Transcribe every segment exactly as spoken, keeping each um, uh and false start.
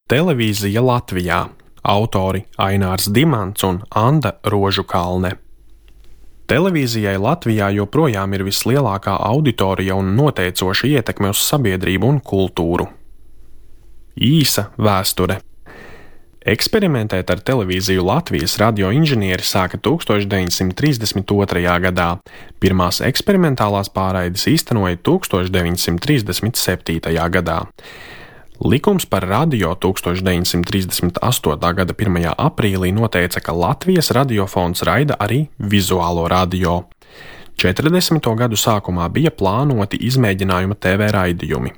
Televīzija Latvijā. Autori Ainārs Dimants un Anda Rožukalne. Televīzijai Latvijā joprojām ir vislielākā auditorija un noteicoša ietekme uz sabiedrību un kultūru. Īsa vēsture. Eksperimentēt ar televīziju Latvijas radioinženieri sāka tūkstoš deviņsimt trīsdesmit otrajā gadā. Pirmās eksperimentālās pārraides īstenoja tūkstoš deviņsimt trīsdesmit septītajā gadā. Likums par radio tūkstoš deviņsimt trīsdesmit astotā gada pirmajā aprīlī noteica, ka Latvijas radiofons raida arī vizuālo radio. četrdesmito gadu sākumā bija plānoti izmēģinājuma T V raidījumi.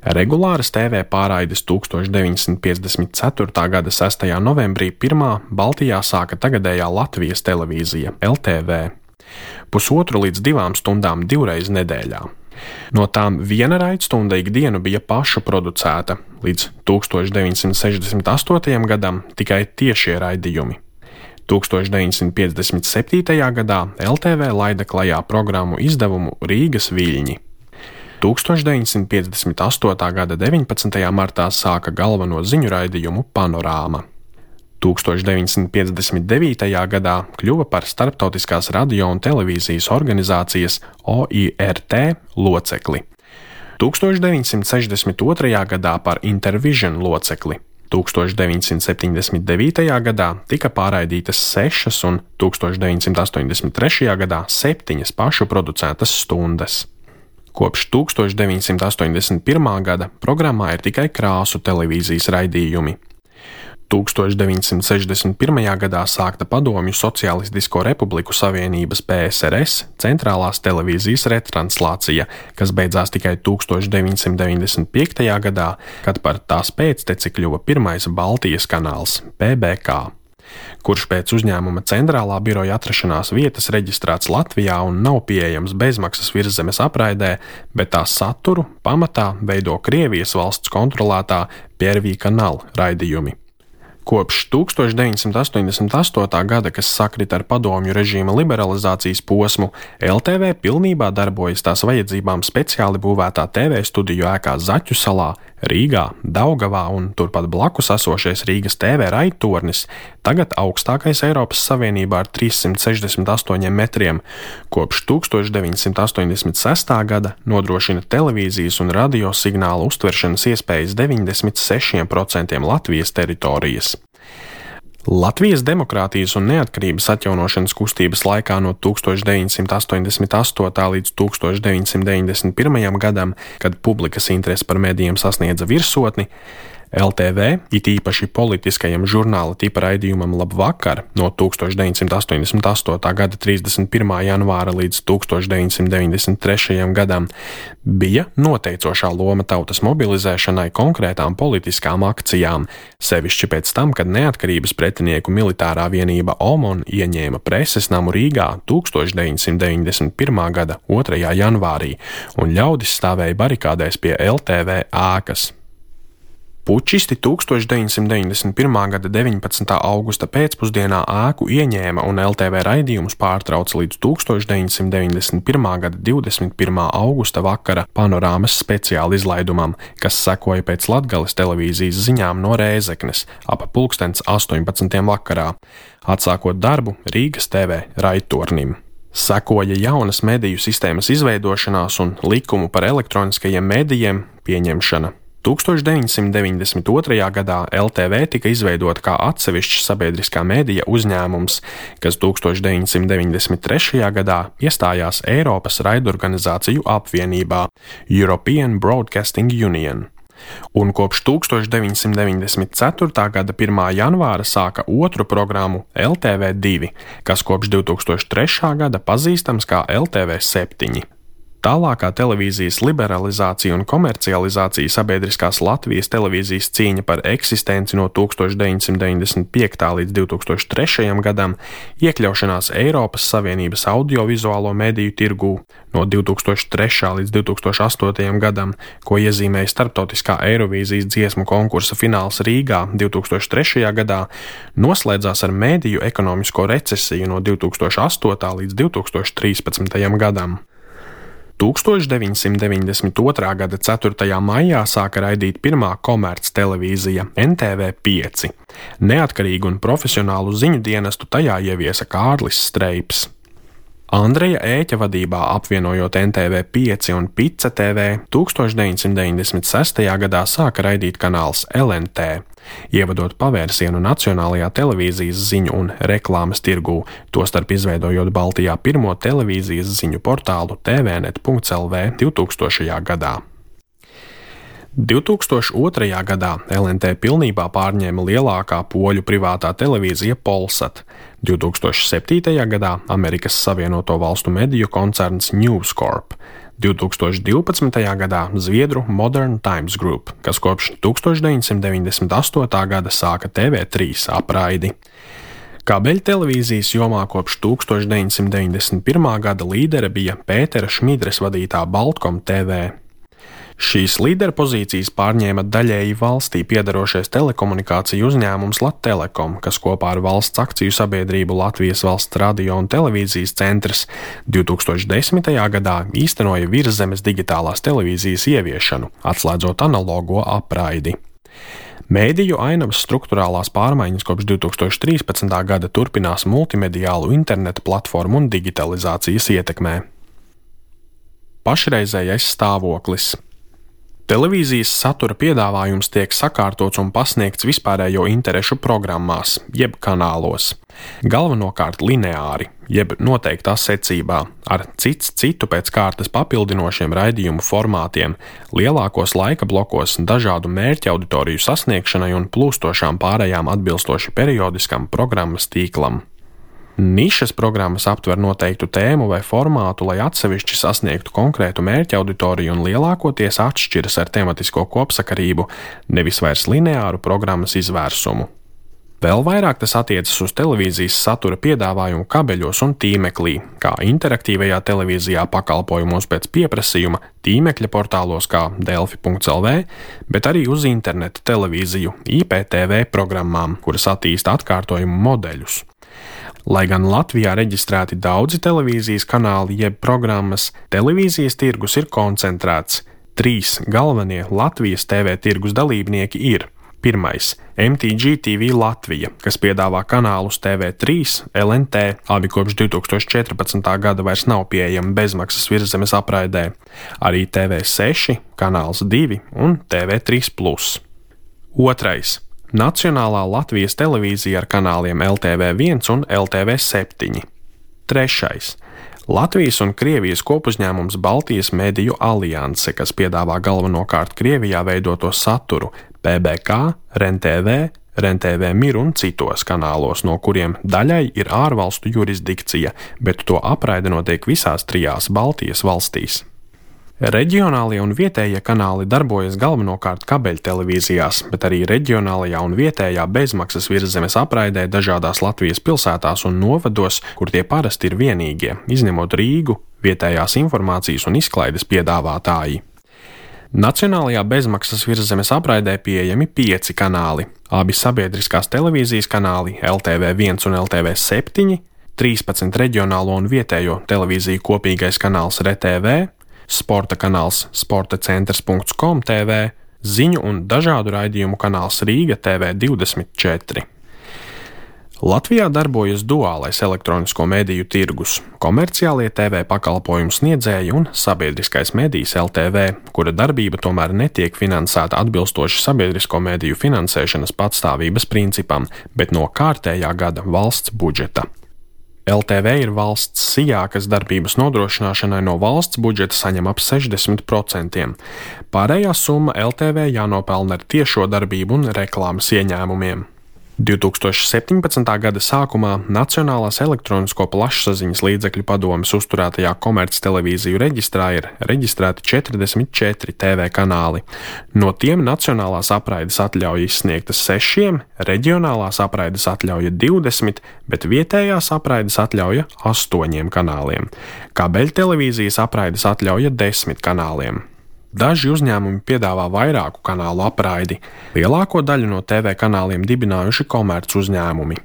Regulāras T V pārraides tūkstoš deviņsimt piecdesmit ceturtā gada sestajā novembrī pirmā Baltijā sāka tagadējā Latvijas televīzija L T V. Pusotru līdz divām stundām divreiz nedēļā. No tām viena raidstunda ikdienu bija pašu producēta, līdz tūkstoš deviņsimt sešdesmit astotajam gadam tikai tiešie raidījumi. tūkstoš deviņsimt piecdesmit septītajā gadā L T V laida klajā programmu izdevumu Rīgas viļņi. tūkstoš deviņsimt piecdesmit astotā gada deviņpadsmitajā martā sāka galveno ziņu raidījumu Panorāma. tūkstoš deviņsimt piecdesmit devītajā gadā kļuva par Starptautiskās radio un televīzijas organizācijas O I R T locekli. tūkstoš deviņsimt sešdesmit otrajā gadā par Intervision locekli. tūkstoš deviņsimt septiņdesmit devītajā gadā tika pārraidītas sešas un tūkstoš deviņsimt astoņdesmit trešajā gadā septiņas pašu producētas stundas. Kopš tūkstoš deviņsimt astoņdesmit pirmā gada programmā ir tikai krāsu televīzijas raidījumi. tūkstoš deviņsimt sešdesmit pirmajā gadā sākta Padomju Socialistisko Republiku Savienības P S R S centrālās televīzijas retranslācija, kas beidzās tikai tūkstoš deviņsimt deviņdesmit piektajā gadā, kad par tās pēcteci kļuva pirmais Baltijas kanāls P B K, kurš pēc uzņēmuma centrālā biroja atrašanās vietas reģistrēts Latvijā un nav pieejams bezmaksas virszemes apraidē, bet tā saturu pamatā veido Krievijas valsts kontrolētā Первый канал raidījumi. Kopš tūkstoš deviņsimt astoņdesmit astotā gada, kas sakrit ar padomju režīma liberalizācijas posmu, L T V pilnībā darbojas tās vajadzībām speciāli būvētā T V studiju ēkā Zaķu salā, Rīgā, Daugavā un turpat blakus esošais Rīgas T V raidtornis, tagad augstākais Eiropas Savienībā ar trīssimt sešdesmit astoņiem metriem, kopš tūkstoš deviņsimt astoņdesmit sestā gada nodrošina televīzijas un radio signālu uztveršanas iespējas deviņdesmit sešiem procentiem Latvijas teritorijas. Latvijas demokrātijas un neatkarības atjaunošanas kustības laikā no tūkstoš deviņsimt astoņdesmit astotā līdz tūkstoš deviņsimt deviņdesmit pirmajam gadam, kad publikas interese par medijiem sasniedza virsotni, L T V, it īpaši politiskajam žurnāla tipa raidījumam Labvakar no tūkstoš deviņsimt astoņdesmit astotā gada trīsdesmit pirmā janvāra līdz tūkstoš deviņsimt deviņdesmit trešajam gadam, bija noteicošā loma tautas mobilizēšanai konkrētām politiskām akcijām, sevišķi pēc tam, kad neatkarības pretinieku militārā vienība OMON ieņēma preses namu Rīgā tūkstoš deviņsimt deviņdesmit pirmā gada otrajā janvārī, un ļaudis stāvēja barikādēs pie L T V ēkas. Pučisti tūkstoš deviņsimt deviņdesmit pirmā gada deviņpadsmitā augusta pēcpusdienā ēku ieņēma un L T V raidījumus pārtrauca līdz tūkstoš deviņsimt deviņdesmit pirmā gada divdesmit pirmā augusta vakara panorāmas speciāla izlaidumam, kas sekoja pēc Latgales televīzijas ziņām no Rēzeknes ap pulkstens astoņpadsmitiem vakarā, atsākot darbu Rīgas T V raidtornim. Sekoja jaunas mediju sistēmas izveidošanās un likumu par elektroniskajiem medijiem pieņemšana. tūkstoš deviņsimt deviņdesmit otrajā gadā L T V tika izveidota kā atsevišķs sabiedriskā medija uzņēmums, kas tūkstoš deviņsimt deviņdesmit trešajā gadā iestājās Eiropas raidorganizāciju apvienībā European Broadcasting Union. Un kopš tūkstoš deviņsimt deviņdesmit ceturtā gada pirmā janvāra sāka otru programmu L T V divi, kas kopš divtūkstoš trešā gada pazīstams kā L T V septiņi. Tālākā televīzijas liberalizācija un komercializācija sabiedriskās Latvijas televīzijas cīņa par eksistenci no tūkstoš deviņsimt deviņdesmit piektā līdz divtūkstoš trešajam gadam, iekļaušanās Eiropas Savienības audiovizuālo mediju tirgū no divtūkstoš trešā līdz divtūkstoš astotajam gadam, ko iezīmēja starptautiskā Eirovīzijas dziesmu konkursa fināls Rīgā divtūkstoš trešajā gadā, noslēdzās ar mediju ekonomisko recesiju no divtūkstoš astotā līdz divtūkstoš trīspadsmitajam gadam. tūkstoš deviņsimt deviņdesmit otrā gada ceturtajā maijā sāka raidīt pirmā komerctelevīzija N T V pieci. Neatkarīgu un profesionālu ziņu dienestu tajā ieviesa Kārlis Streips. Andreja Ēķa vadībā apvienojot N T V pieci un Pica T V, tūkstoš deviņsimt deviņdesmit sestajā gadā sāka raidīt kanāls L N T, ievadot pavērsienu nacionālajā televīzijas ziņu un reklāmas tirgū, tostarp izveidojot Baltijā pirmo televīzijas ziņu portālu T V net punkts L V divtūkstošajā gadā. divtūkstoš otrajā gadā L N T pilnībā pārņēma lielākā poļu privātā televīzija Polsat, divtūkstoš septītajā gadā Amerikas Savienoto Valstu mediju koncerns News Corp, divtūkstoš divpadsmitajā gadā Zviedru Modern Times Group, kas kopš tūkstoš deviņsimt deviņdesmit astotā gada sāka T V trīs apraidi. Kabeļtelevīzijas jomā kopš tūkstoš deviņsimt deviņdesmit pirmā gada līdere bija Pētera Šmidres vadītā Baltkom T V. Šīs līderpozīcijas pārņēma daļēji valstī piedarošais telekomunikāciju uzņēmums Lattelekom, kas kopā ar valsts akciju sabiedrību Latvijas Valsts radio un televīzijas centrs divtūkstoš desmitajā gadā īstenoja virszemes digitālās televīzijas ieviešanu, atslēdzot analogo apraidi. Mēdīju ainavas struktūrālās pārmaiņas kopš divtūkstoš trīspadsmitā gada turpinās multimediālu interneta platformu un digitalizācijas ietekmē. Pašreizējais stāvoklis. Televīzijas satura piedāvājums tiek sakārtots un pasniegts vispārējo interešu programmās, jeb kanālos. Galvenokārt lineāri, jeb noteiktā secībā, ar cits citu pēc kārtas papildinošiem raidījumu formātiem, lielākos laika blokos dažādu mērķa auditoriju sasniegšanai un plūstošām pārējām atbilstoši periodiskam programmas tīklam. Nišas programmas aptver noteiktu tēmu vai formātu, lai atsevišķi sasniegtu konkrētu mērķa auditoriju un lielākoties atšķiras ar tematisko kopsakarību, nevis vairs lineāru programmas izvērsumu. Vēl vairāk tas attiecas uz televīzijas satura piedāvājumu kabeļos un tīmeklī, kā interaktīvajā televīzijā pakalpojumos pēc pieprasījuma, tīmekļa portālos kā delfi punkts L V, bet arī uz interneta televīziju, I P T V programmām, kuras attīsta atkārtojumu modeļus. Lai gan Latvijā reģistrēti daudzi televīzijas kanāli jeb programmas, televīzijas tirgus ir koncentrēts. Trīs galvenie Latvijas T V tirgus dalībnieki ir: pirmais – M T G T V Latvija, kas piedāvā kanālus T V trīs, L N T, abi kopš divtūkstoš četrpadsmitā gada vairs nav pieejami bezmaksas virszemes apraidē, arī T V seši, kanāls divi un T V trīs plus. Otrais – Nacionālā Latvijas televīzija ar kanāliem L T V viens un L T V septiņi. Trešais – Latvijas un Krievijas kopuzņēmums Baltijas mediju alianse, kas piedāvā galvenokārt Krievijā veidoto saturu P B K, R N T V, R N T V Mir un citos kanālos, no kuriem daļai ir ārvalstu jurisdikcija, bet to apraide notiek visās trijās Baltijas valstīs. Reģionālie un vietējie kanāli darbojas galvenokārt kabeļtelevīzijās, bet arī reģionālajā un vietējā bezmaksas virszemes apraidē dažādās Latvijas pilsētās un novados, kur tie parasti ir vienīgie, izņemot Rīgu, vietējās informācijas un izklaides piedāvātāji. Nacionālajā bezmaksas virszemes apraidē pieejami pieci kanāli, abi sabiedriskās televīzijas kanāli L T V viens un L T V septiņi, trīspadsmit reģionālo un vietējo televīziju kopīgais kanāls R T V, sporta kanāls sporta centrs punkts com T V, ziņu un dažādu raidījumu kanāls Rīga T V divdesmit četri. Latvijā darbojas duālais elektronisko mediju tirgus, komerciālie T V pakalpojumu sniedzēji un sabiedriskais medijs L T V, kura darbība tomēr netiek finansēta atbilstoši sabiedrisko mediju finansēšanas patstāvības principam, bet no kārtējā gada valsts budžeta. L T V ir valsts sijā, kas darbības nodrošināšanai no valsts budžeta saņem ap sešdesmit procentiem. Pārējā summa L T V jānopelna ar tiešo darbību un reklāmas ieņēmumiem. divtūkstoš septiņpadsmitā gada sākumā Nacionālās elektronisko plašsaziņas līdzekļu padomes uzturētajā komerctelevīziju reģistrā ir reģistrēti četrdesmit četri T V kanāli. No tiem nacionālās apraides atļauja izsniegtas sešiem, reģionālās apraides atļauja divdesmit, bet vietējās apraides atļauja astoņiem kanāliem. Kabeļtelevīzijas apraides atļauja desmit kanāliem. Daži uzņēmumi piedāvā vairāku kanālu apraidi. Lielāko daļu no T V kanāliem dibinājuši komerc uzņēmumi.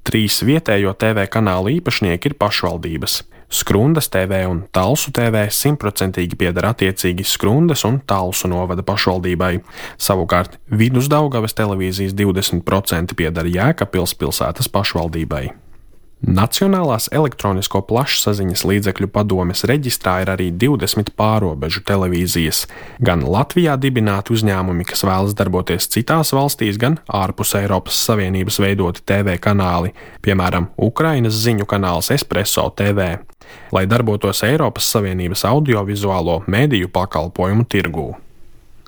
Trīs vietējo T V kanālu īpašnieki ir pašvaldības. Skrundas T V un Talsu T V simtprocentīgi pieder attiecīgi Skrundas un Talsu novada pašvaldībai. Savukārt Vidusdaugavas televīzijas divdesmit procenti pieder Jēkabpils pilsētas pašvaldībai. Nacionālās elektronisko plašsaziņas līdzekļu padomes reģistrā ir arī divdesmit pārobežu televīzijas, gan Latvijā dibināti uzņēmumi, kas vēlas darboties citās valstīs, gan ārpus Eiropas Savienības veidoti T V kanāli, piemēram, Ukrainas ziņu kanāls Espresso T V, lai darbotos Eiropas Savienības audiovizuālo mediju pakalpojumu tirgū.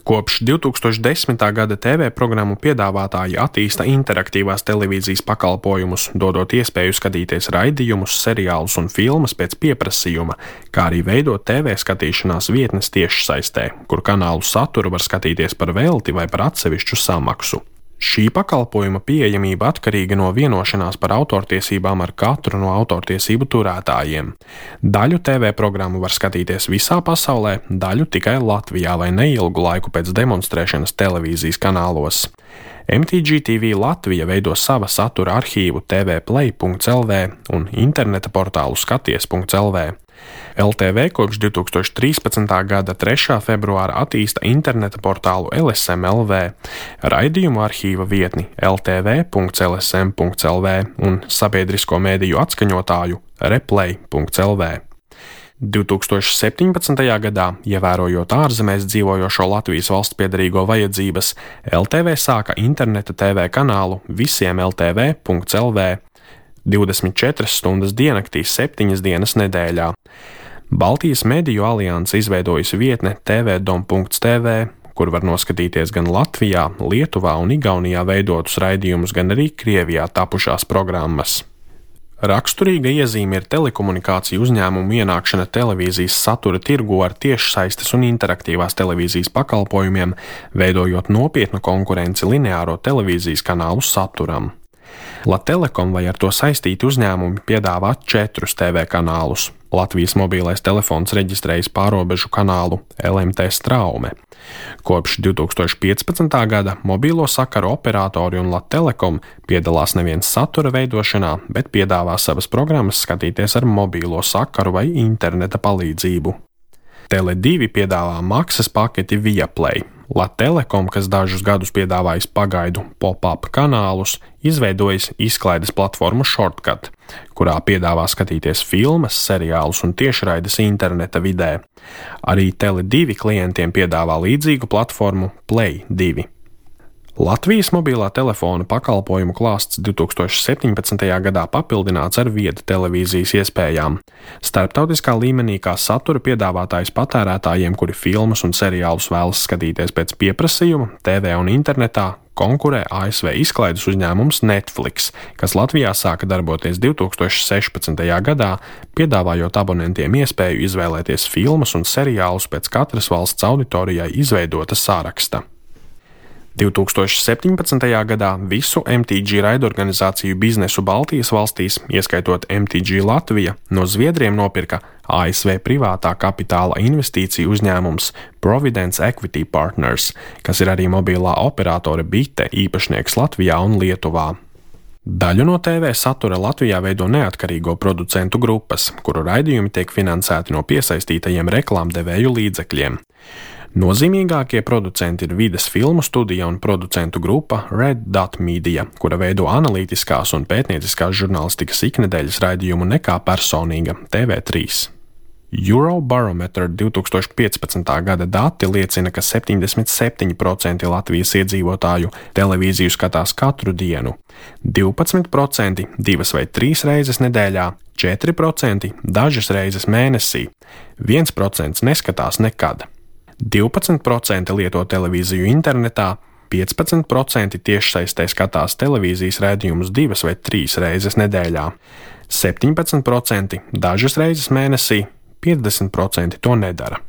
Kopš divi tūkstoši desmitā gada T V programmu piedāvātāji attīsta interaktīvās televīzijas pakalpojumus, dodot iespēju skatīties raidījumus, seriālus un filmas pēc pieprasījuma, kā arī veidot T V skatīšanās vietnes tiešsaistē, kur kanālu saturu var skatīties par velti vai par atsevišķu samaksu. Šī pakalpojuma pieejamība atkarīga no vienošanās par autortiesībām ar katru no autortiesību turētājiem. Daļu T V programmu var skatīties visā pasaulē, daļu tikai Latvijā vai neilgu laiku pēc demonstrēšanas televīzijas kanālos. M T G T V Latvija veido sava satura arhīvu T V play punkts L V un interneta portālu skaties punkts L V. L T V kopš divi tūkstoši trīspadsmitā gada trešā februāra attīsta interneta portālu L S M L V, raidījumu arhīva vietni L T V punkts L S M punkts L V un sabiedrisko mēdīju atskaņotāju replay punkts L V. divi tūkstoši septiņpadsmitajā gadā, ievērojot ārzemēs dzīvojošo Latvijas valstspiederīgo vajadzības, L T V sāka interneta T V kanālu visiem L T V punkts L V, divdesmit četras stundas diennaktī, septiņas dienas nedēļā. Baltijas mediju alianse izveidojusi vietne T V dom punkts T V, kur var noskatīties gan Latvijā, Lietuvā un Igaunijā veidotus raidījumus, gan arī Krievijā tapušās programmas. Raksturīga iezīme ir telekomunikāciju uzņēmumu ienākšana televīzijas satura tirgu ar tiešsaistes un interaktīvās televīzijas pakalpojumiem, veidojot nopietnu konkurenci lineāro televīzijas kanālu saturam. Latelekom vai ar to saistīti uzņēmumi piedāvā četrus T V kanālus. Latvijas mobilais telefons reģistrējis pārobežu kanālu L M T Straume. Kopš divi tūkstoši piecpadsmitā gada mobilo sakaru operatori un Latelekom piedalās nevien satura veidošanā, bet piedāvā savas programmas skatīties ar mobilo sakaru vai interneta palīdzību. Tele divi piedāvā maksas paketi Viaplay. Latelekom, kas dažus gadus piedāvājis pagaidu pop-up kanālus, izveidojis izklaides platformu Shortcut, kurā piedāvā skatīties filmas, seriālus un tiešraides interneta vidē. Arī Tele divi klientiem piedāvā līdzīgu platformu Play divi. Latvijas mobilā telefona pakalpojumu klāsts divi tūkstoši septiņpadsmitajā gadā papildināts ar viedu televīzijas iespējām. Starptautiskā līmenī kā satura piedāvātājs patērētājiem, kuri filmas un seriālus vēlas skatīties pēc pieprasījuma, T V un internetā, konkurē A S V izklaides uzņēmums Netflix, kas Latvijā sāka darboties divi tūkstoši sešpadsmitajā gadā, piedāvājot abonentiem iespēju izvēlēties filmas un seriālus pēc katras valsts auditorijai izveidota sāraksta. divi tūkstoši septiņpadsmitajā gadā visu M T G raidorganizāciju biznesu Baltijas valstīs, ieskaitot M T G Latvija, no Zviedriem nopirka A S V privātā kapitāla investīciju uzņēmums Providence Equity Partners, kas ir arī mobilā operatore Bite īpašnieks Latvijā un Lietuvā. Daļu no T V satura Latvijā veido neatkarīgo producentu grupas, kuru raidījumi tiek finansēti no piesaistītajiem reklāmdevēju līdzekļiem. Nozīmīgākie producenti ir vides filmu studija un producentu grupa Red Dot Media, kura veido analītiskās un pētnieciskās žurnālistikas iknedēļas raidījumu Nekā personīga T V trīs. Eurobarometer divi tūkstoši piecpadsmitā gada dati liecina, ka septiņdesmit septiņi procenti Latvijas iedzīvotāju televīziju skatās katru dienu, divpadsmit procenti divas vai trīs reizes nedēļā, četri procenti dažas reizes mēnesī, viens procents neskatās nekad. divpadsmit procenti lieto televīziju internetā, piecpadsmit procenti tiešsaistē skatās televīzijas raidījumus divas vai trīs reizes nedēļā, septiņpadsmit procenti dažas reizes mēnesī, piecdesmit procenti to nedara.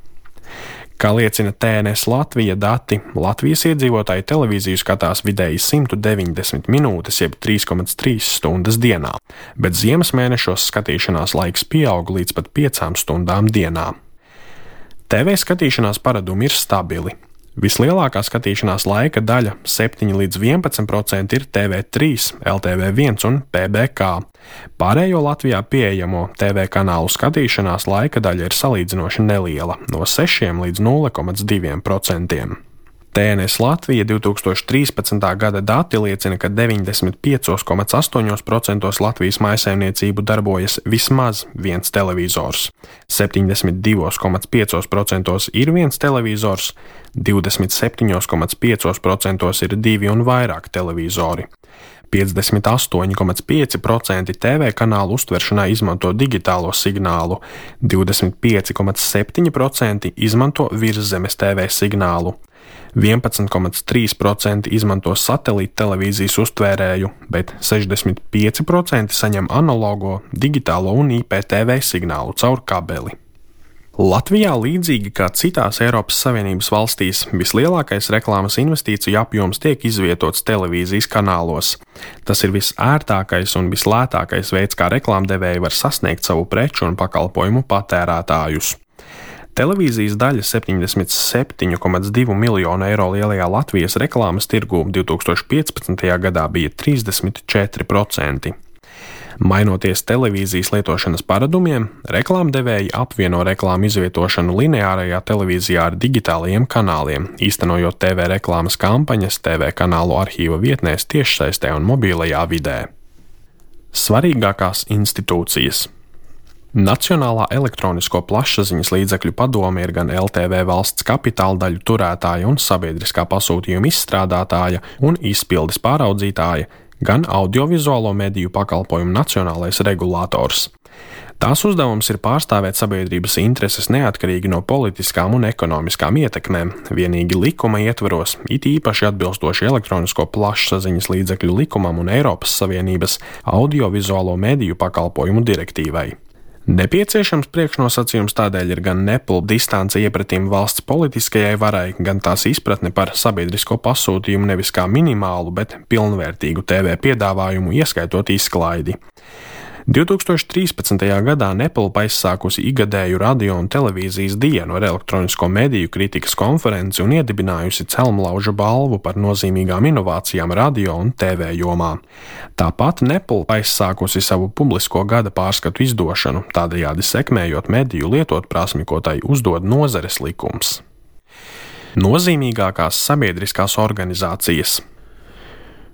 Kā liecina T N S Latvija dati, Latvijas iedzīvotāji televīziju skatās vidēji simt deviņdesmit minūtes, jeb trīs komats trīs stundas dienā, bet ziemas mēnešos skatīšanās laiks pieaug līdz pat piecām stundām dienā. T V skatīšanās paradumi ir stabili. Vislielākā skatīšanās laika daļa - septiņi līdz vienpadsmit procenti ir T V trīs, L T V viens un P B K. Pārējo Latvijā pieejamo T V kanālu skatīšanās laika daļa ir salīdzinoši neliela - no sešiem līdz nulle komats diviem procentiem. T N S Latvija divs tūkstoši trīspadsmitā gada dati liecina, ka deviņdesmit pieci komats astoņi procenti Latvijas mājsaimniecību darbojas vismaz viens televizors, septiņdesmit divi komats pieci procenti ir viens televizors, divdesmit septiņi komats pieci procenti ir divi un vairāk televizori. piecdesmit astoņi komats pieci procenti T V kanālu uztveršanai izmanto digitālo signālu, divdesmit pieci komats septiņi procenti izmanto virszemes T V signālu, vienpadsmit komats trīs procenti izmanto satelīta televīzijas uztvērēju, bet sešdesmit pieci procenti saņem analogo, digitālo un I P T V signālu caur kabeli. Latvijā, līdzīgi kā citās Eiropas Savienības valstīs, vislielākais reklāmas investīciju apjoms tiek izvietots televīzijas kanālos. Tas ir visērtākais un vislētākais veids, kā reklāmdevēji var sasniegt savu preču un pakalpojumu patērētājus. Televīzijas daļa septiņdesmit septiņi komats divi miljonu eiro lielajā Latvijas reklāmas tirgū divs tūkstoši piecpadsmitajā gadā bija trīsdesmit četri procenti. Mainoties televīzijas lietošanas paradumiem, reklāmdevēji apvieno reklāmu izvietošanu lineārajā televīzijā ar digitālajiem kanāliem, īstenojot T V reklāmas kampaņas T V kanālu arhīva vietnēs tiešsaistē un mobilajā vidē. Svarīgākās institūcijas. Nacionālā elektronisko plašsaziņas līdzekļu padome ir gan L T V valsts kapitāla daļu turētāja un sabiedriskā pasūtījuma izstrādātāja un izpildes pāraudzītāja, gan audiovizuālo mediju pakalpojumu nacionālais regulators. Tās uzdevums ir pārstāvēt sabiedrības intereses neatkarīgi no politiskām un ekonomiskām ietekmēm, vienīgi likuma ietvaros, it īpaši atbilstoši elektronisko plašsaziņas līdzekļu likumam un Eiropas Savienības audiovizuālo mediju pakalpojumu direktīvai. Nepieciešams priekšnosacījums tādēļ ir gan nepilna distance iepratim valsts politiskajai varai, gan tās izpratne par sabiedrisko pasūtījumu nevis kā minimālu, bet pilnvērtīgu T V piedāvājumu, ieskaitot izklaidi. divs tūkstoši trīspadsmitajā gadā Nepilpa aizsākusi igadēju radio un televīzijas dienu ar elektronisko mediju kritikas konferenci un iedibinājusi Celmlauža balvu par nozīmīgām inovācijām radio un T V jomā. Tāpat Nepilpa aizsākusi savu publisko gada pārskatu izdošanu, tādējādi sekmējot mediju lietotprasmi, ko tai uzdod nozares likums. Nozīmīgākās sabiedriskās organizācijas.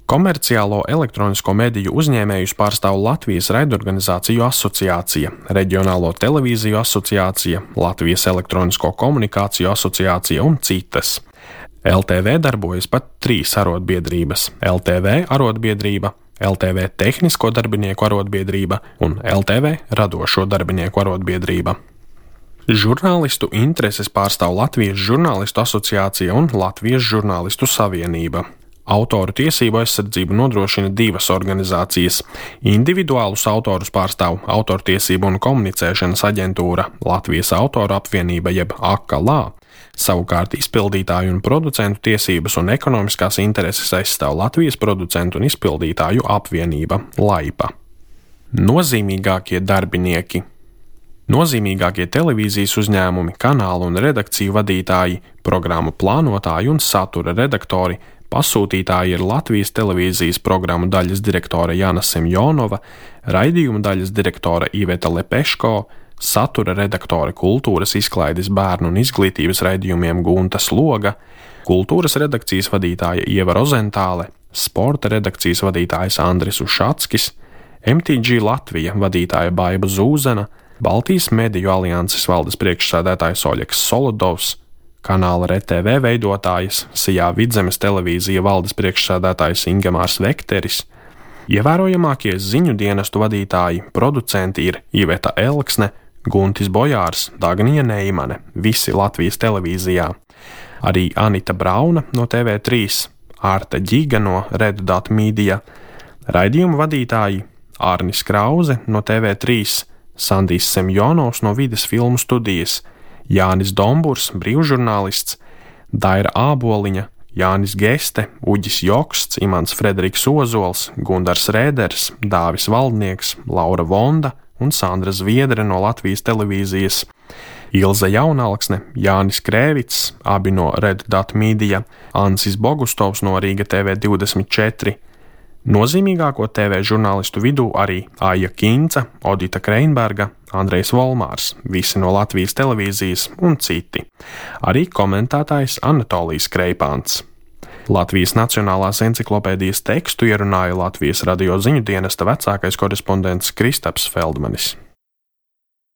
Komerciālo elektronisko mediju uzņēmējus pārstāv Latvijas raidorganizāciju asociācija, Reģionālo televīziju asociācija, Latvijas elektronisko komunikāciju asociācija un citas. L T V darbojas pat trīs arotbiedrības - L T V arotbiedrība, L T V tehnisko darbinieku arotbiedrība un L T V radošo darbinieku arotbiedrība. Žurnālistu intereses pārstāv Latvijas žurnālistu asociācija un Latvijas žurnālistu savienība. Autoru tiesību aizsardzību nodrošina divas organizācijas. Individuālus autorus pārstāv Autortiesību un komunicēšanas aģentūra Latvijas autoru apvienība jeb A K L A. Savukārt izpildītāju un producentu tiesības un ekonomiskās intereses aizstāv Latvijas producentu un izpildītāju apvienība Laipa. Nozīmīgākie darbinieki. Nozīmīgākie televīzijas uzņēmumi, kanālu un redakciju vadītāji, programmu plānotāji un satura redaktori. Pasūtītāji ir Latvijas televīzijas programmu daļas direktore Jana Semjonova, raidījuma daļas direktore Iveta Lepeško, satura redaktore kultūras izklaides bērnu un izglītības raidījumiem Gunta Sloga, kultūras redakcijas vadītāja Ieva Rozentāle, sporta redakcijas vadītājs Andris Ušatskis, M T G Latvija vadītāja Baiba Zūzena, Baltijas mediju alianses valdes priekšsēdētājs Oļeks Solodovs, kanāla R T V veidotājs, Sijā Vidzemes televīzija valdes priekšsēdētājs Ingemārs Vekteris. Ievērojamākie ziņu dienestu vadītāji, producenti ir Iveta Elksne, Guntis Bojārs, Dagnija Neimane, visi Latvijas televīzijā. Arī Anita Brauna no T V trīs, Ārta Ģiga no Red Dot Media, raidījuma vadītāji Ārnis Krauze no T V trīs, Sandijs Semjonovs no Vides filmu studijas, Jānis Domburs, brīvžurnālists, Daira Āboliņa, Jānis Geste, Uģis Joksts, Imants Frederiks Ozols, Gundars Rēders, Dāvis Valdnieks, Laura Vonda un Sandra Zviedre no Latvijas televīzijas. Ilze Jaunalksne, Jānis Krēvits, abi no Red Dot Media, Ansis Bogustovs no Rīga T V divdesmit četri. Nozīmīgāko T V žurnālistu vidū arī Aija Kinca, Odita Kreinberga, Andrejs Volmārs, visi no Latvijas televīzijas un citi. Arī komentētājs Anatolijs Kreipāns. Latvijas Nacionālās enciklopēdijas tekstu ierunāja Latvijas radio ziņu dienesta vecākais korespondents Kristaps Feldmanis.